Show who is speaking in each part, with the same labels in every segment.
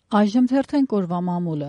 Speaker 1: Այժմ թերթենք օրվա մամուլը։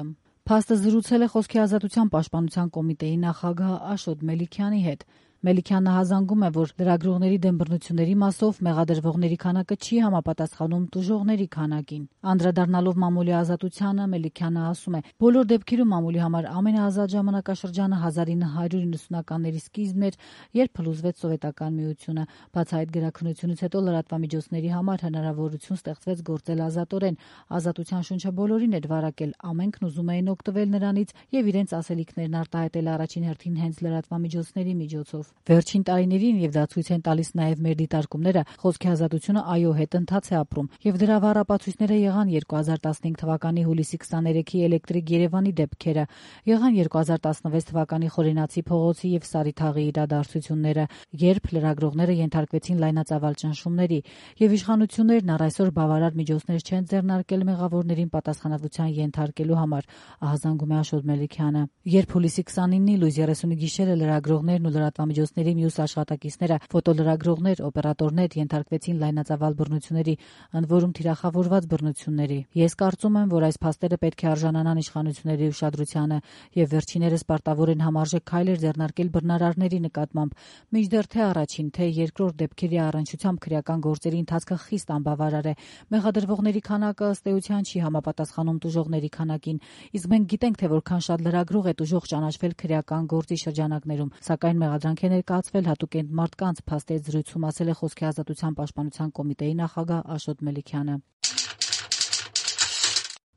Speaker 1: Փաստը զրուցել է Խոսքի ազատության պաշտպանության կոմիտեի նախագահ Աշոտ Մելիքյանի հետ։ Մելիքյանը հազանգում է, որ լրագրողների դեմ բռնությունների մասով մեղադրվողների քանակը չի համապատասխանում տուժողների քանակին։ Անդրադառնալով մամուլի ազատությանը, Մելիքյանը ասում է. բոլոր դեպքերում մամուլի համար ամենաազատ ժամանակաշրջանը 1990-ականների սկիզբն էր, երբ փլուզվեց Սովետական Միությունը։ Բաց այդ գրաքննությունից հետո լրատվամիջոցների համար հնարավորություն ստեղծվեց գործել ազատորեն։ Ազատության շունչը բոլորին էր վարակել, ամենքն ուզում էին օգտվել նրանից եւ իրենց ասելիքներն արտահայտել առաջին հերթին հենց լրատվամիջոցների միջոցով։ Վերջին տարիներին, եւ դա ցույց են տալիս նաեւ մեր դիտարկումները, Խոսքի ազատությունը այո հետընթաց է ապրում, եւ դրա վառապացույցները եղան 2015 թվականի հուլիսի 23-ի Էլեկտրիկ Երևանի դեպքերը, եղան 2016 թվականի Խորենացի փողոցի եւ Սարիթաղի իրադարձությունները, երբ լրագրողները ենթարկվեցին լայնածավալ ճնշումների, եւ իշխանություններն առ այսօր բավարար միջոցներ չեն ձեռնարկել մեղավորներին պատասխանատվության ենթարկելու համար, ահազանգում է Աշոտ Մելիքյանը։ Երբ հուլիսի 29-ի լույս 30-ի գիշերը լրագրողներն ու լրատվամիջոցների մյուս աշխատակիցները, ֆոտոլրագրողներ, օպերատորներ ենթարկվեցին լայնածավալ բռնությունների, ընդ որում թիրախավորված բռնությունների։ Ես կարծում եմ, որ այս փաստերը պետք է արժանանան իշխանությունների ուշադրությանը եւ վերջիներս պարտավոր են համարժեք քայլեր ձեռնարկել բռնարարների նկատմամբ, մինչդեռ թե առաջին, թե երկրորդ դեպքերի առնչությամբ քրեական գործերի ընթացքը խիստ անբավարար է։ Մեղադրվողների քանակը ըստ էության չի համապատասխանում տուժողների քանակին, իսկ մենք գիտենք, թե որքան շատ լրագրող է տուժող ճանաչվել քրեական գործի շրջանակներում, սակայն մեղադրանք է ներկայացվել հատուկ են մարդկանց, փաստեց զրույցում ասել է Խոսքի ազատության պաշտպանության կոմիտեի նախագահ Աշոտ Մելիքյանը։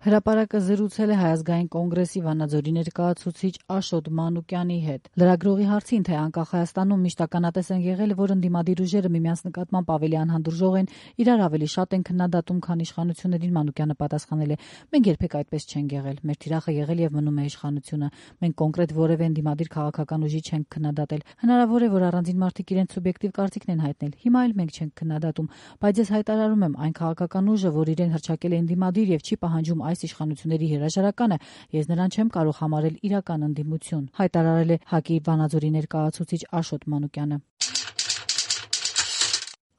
Speaker 1: Հրապարակը զրուցել է Հայ ազգային կոնգրեսի Վանաձորի ներկայացուցիչ Աշոտ Մանուկյանի հետ։ Լրագրողի հարցին, թե անկախ Հայաստանում միշտ ականատես են եղել, որ ընդդիմադիր ուժերը միմյանց նկատմամբ ավելի անհանդուրժող են, իրար ավելի շատ են քննադատում, քան իշխանություններին, Մանուկյանը պատասխանել է. մենք երբեք այդպես չենք եղել, մեր թիրախը եղել եւ մնում է իշխանությունը, մենք կոնկրետ որևէ ընդդիմադիր քաղաքական ուժի չենք քննադատել, հնարավոր է, որ առանձին մարդիկ իրենց սուբյեկտիվ կարծիքն են հայտնել, հիմա էլ մենք չենք քննադատում, բայց ես հայտարարում եմ, այն քաղաքական ուժը, որ իրեն հռչակել է ընդդիմադիր եւ չի պահանջում այս իշխանությունների հրաժարականը, ես նրան չեմ կարող համարել իրական ընդդիմություն, հայտարարել է ՀԱԿ-ի Վանաձորի ներկայացուցիչ Աշոտ Մանուկյանը։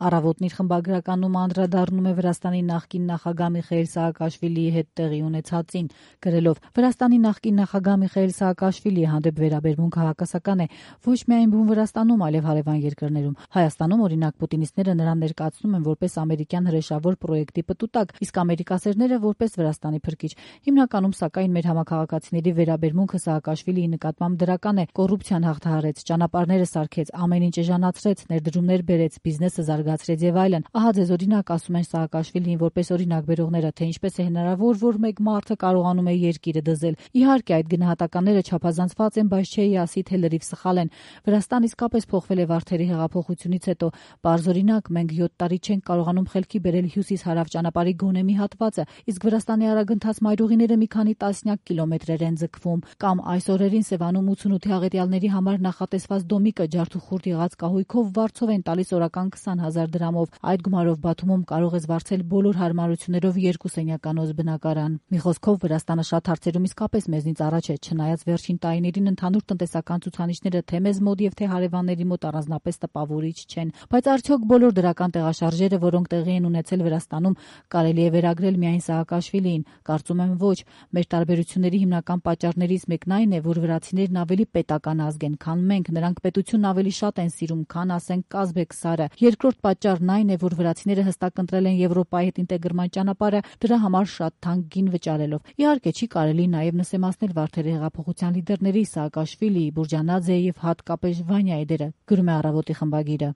Speaker 1: Առավոտն իր խմբագրականում անդրադառնում է Վրաստանի նախկին նախագահ Միխայիլ Սաակաշվիլիի հետ տեղի ունեցածին, գրելով. Վրաստանի նախկին նախագահ Միխայիլ Սաակաշվիլիի հանդեպ վերաբերմունքը հակասական է ոչ միայն բուն Վրաստանում, այլև հարևան երկրներում։ Հայաստանում, օրինակ, պուտինիստները նրան ներկայացնում են որպես ամերիկյան հրեշավոր պրոյեկտի պտուտակ, իսկ ամերիկացիները որպես Վրաստանի փրկիչ։ Հիմնականում, սակայն, մեր համակարգացիների վերաբերմունքը Սաակաշվիլիի նկատմամբ դրական է, կոռուպցիան հաղթահարեց, ճանապարհները սարքեց, ամեն ինչ էժանացրեց, ներդրումներ բերեց, բիզնեսը զարգացրեց եւ այլն։ Ահա ձեզ օրինակ ասում են Սաակաշվիլիին որպես օրինակ բերողները, թե ինչպես է հնարավոր, որ մեկ մարդը կարողանում է երկիրը դզել։ Իհարկե, այդ գնահատականները չափազանցված են, բայց չէի ասի, թե լրիվ սխալ են։ Վրաստան իսկապես փոխվել է Վարդերի հեղափոխությունից հետո։ Պարզ օրինակ, մենք 7 տարի չենք կարողանում խելքի բերել հյուսիս-հարավ ճանապարհի գոնե մի հատվածը, իսկ Վրաստանի արագընթաց մայրուղիները մի քանի տասնյակ կիլոմետրեր են ձգվում։ Կամ այս օրերին Սևանում 88 աղետյալների համար նախատեսված դոմիկը ջարդուխուրդ եղած կահույքով վարձով են տալիս օրական 20,000 դրամով։ Այդ գումարով Բաթումում կարող ես վարձել բոլոր հարմարություններով 2 սենյականոց բնակարան։ Մի խոսքով, Վրաստանը շատ հարցերում իսկապես մեզնից առաջ է, չնայած վերջին տարիներին ընդհանուր տնտեսական ցուցանիշները թե մեզ մոտ եւ թե հարևանների մոտ առանձնապես տպավորիչ չեն։ Բայց արդյոք բոլոր դրական տեղաշարժերը, որոնք տեղի են ունեցել Վրաստանում, կարելի է վերագրել միայն Սաակաշվիլիին։ Կարծում եմ ոչ։ Մեր տարբերությունների հիմնական պատճառներից մեկն այն է, որ վրացիներն ավելի պետական ազգ են, քան մենք, նրանք պետությունն ավելի շատ են սիրում, քան ասենք Կազբեկ Սարը։ Երկրորդ պատճառն այն է, որ վրացիները հստակ ընտրել են Եվրոպայի հետ ինտեգրման ճանապարհը, դրա համար շատ թանկ գին վճարելով։ Իհարկե չի կարելի նաև նսեմացնել Վարդերի հեղափոխության լիդերների Սաակաշվիլիի, Բուրջանաձեի եւ հատկապես Վանյայի դերը, գրում է Առավոտի խմբագիրը։